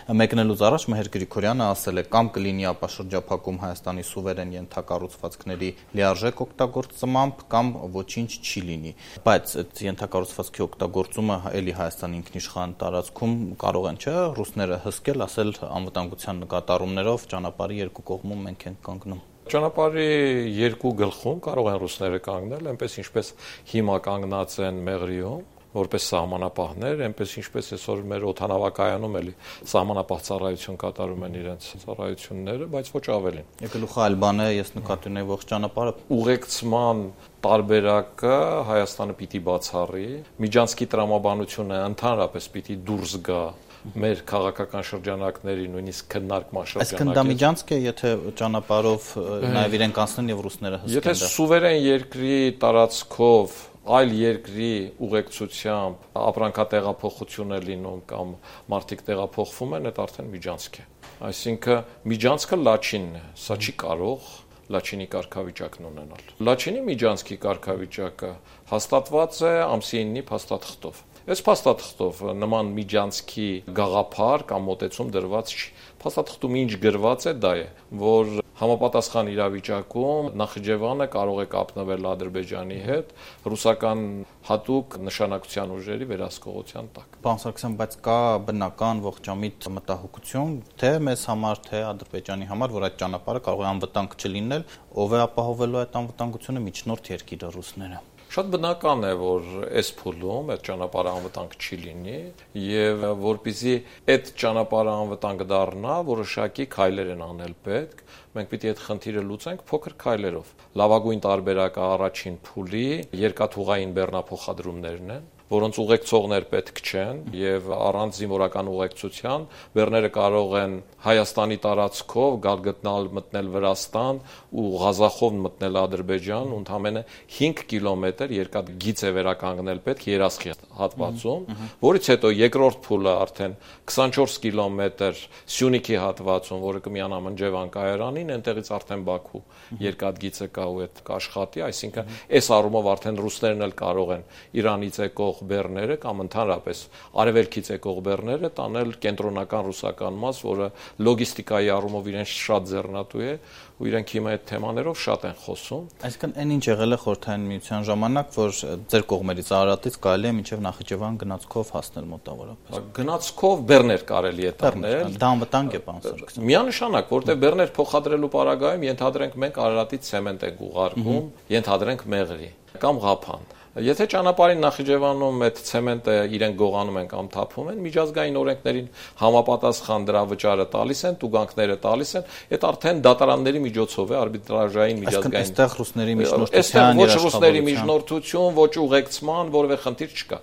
Մեկնելուց առաջ Մհեր Գրիգորյանը ասել է կամ կլինի ապաշրջափակում Հայաստանի սուվերեն ենթակառուցվածքների լիարժեք օգտագործմամբ կամ ոչինչ չի լինի, բայց այդ ենթակառուցվածքի օգտագործումը էլի Հայաստանի ինքնիշխան տարածքում կարող են չէ ռուսները հսկել, ասել անվտանգության նկատառումներով ճանապարհի երկու կողմում մենք ենք կանգնում։ Ճանապարհի երկու գլխում կարող են ռուսները կանգնել, այնպես ինչպես հիմա կանգնած են Մեղրիում, որպես սահմանապահներ, այնպես ինչպես այսօր մեր օդանավակայանում էլի սահմանապահ ծառայություն կատարում են իրենց ծառայությունները, բայց ոչ ավելին։ Գլուխը այլ բան է, ես նկատի ունեի ողջ ճանապարհը։ Ուղեկցման տարբերակը Հայաստանը պիտի բացառի, Միջանցքի տրամաբանությունը ընդհանրապես պիտի դուրս գա մեր քաղաքական շրջանակների նույնիսկ քննարկման շրջանակից։ Այսինքն դա Միջանցք է, եթե ճանապարհով նաև իրենք անցնեն եւ ռուսները հսկեն դա։ Եթե սուվերեն երկրի տարածքով այլ երկրի ուղեկցությամբ ապրանքատեղափոխություն է լինում կամ մարդիկ տեղափոխվում են, դա արդեն Միջանցք է։ Այսինքն Միջանցքը Լաչինն է, սա չի կարող Լաչինի կարգավիճակն ունենալ։ Լաչինի Միջանցքի կարգավիճակը հաստատված է ամսի 9-ի փաստաթղթով։ Այս փաստաթղթով նման Միջանցքի գաղափար կամ մոտեցում դրված չի։ Փաստաթղթում ինչ գրված է, դա է, որ համապատասխան իրավիճակում Նախիջևանը կարող է կապնվել Ադրբեջանի հետ ռուսական հատուկ նշանակության ուժերի վերահսկողության տակ։ Պարոն Սարգսյան, բայց կա բնական ողջամիտ մտահոգություն, թե մեզ համար, թե Ադրբեջանի համար, որ այդ ճանապարհը կարող է անվտանգ չլինել, ով է ապահովելու այդ անվտանգությունը, միջնորդ երկիրը ռուսները։ Շատ բնական է, որ այս փուլում այդ ճանապարհը անվտանգ չի լինի եւ որպեսզի այդ ճանապարհը անվտանգ դառնա, որոշակի քայլեր են անել պետք։ Մենք պիտի այդ խնդիրը լուծենք փոքր քայլերով։ Լավագույն տարբերակը առաջին փուլի երկաթուղային բեռնափոխադրումներն են, որոնց ուղեկցողներ պետք չեն եւ առանց զինվորական ուղեկցության բեռները կարող են Հայաստանի տարածքով գալ մտնել Վրաստան ու Ղազախով մտնել Ադրբեջան, ընդամենը 5 կիլոմետր երկաթգիծ է վերականգնել պետք Երասխի հատվածում, որից հետո երկրորդ փուլը արդեն 24 կիլոմետր Սյունիքի հատվածում, որը կմիանա Մնջևան կայարանին, այնտեղից արդեն Բաքու երկաթգիծը կա ու այդ կաշխատի, այսինքն այս առումով արդեն ռուսներն էլ կարող են Իրանից եկող բեռները կամ ընդհանրապես արևելքից եկող բեռները տանել կենտրոնական ռուսական մաս, որը լոգիստիկայի առումով իրենց շատ ձեռնատու է ու իրենք հիմա այդ թեմաներով շատ են խոսում։ Այսինքն այն ինչ եղել է Խորհրդային Միության ժամանակ, որ ձեր կողմերից Արարատից կարելի է մինչև Նախիջևան գնացքով հասնել մոտավորապես։ Գնացքով բեռներ կարելի է տանել։ Դա անվտանգ է, պարոն Սարգսյան։ Միանշանակ, որտեղ բեռներ փոխադրելու պարագայում ենթադրենք մենք Արարատից ցեմենտ ենք ուղարկում, ենթադրենք Մեղրի կամ Ղափան։ Եթե ճանապարհին Նախիջևանում այդ ցեմենտը իրենք գողանում են կամ թափում են, միջազգային օրենքներին համապատասխան դրա վճարը տալիս են, տուգանքները տալիս են, այդ արդեն դատարանների միջոցով է արբիտրաժային միջազգային։ Այստեղ ռուսների միջնորդության, ոչ ռուսների միջնորդություն, ոչ ուղեկցման որևէ խնդիր չկա։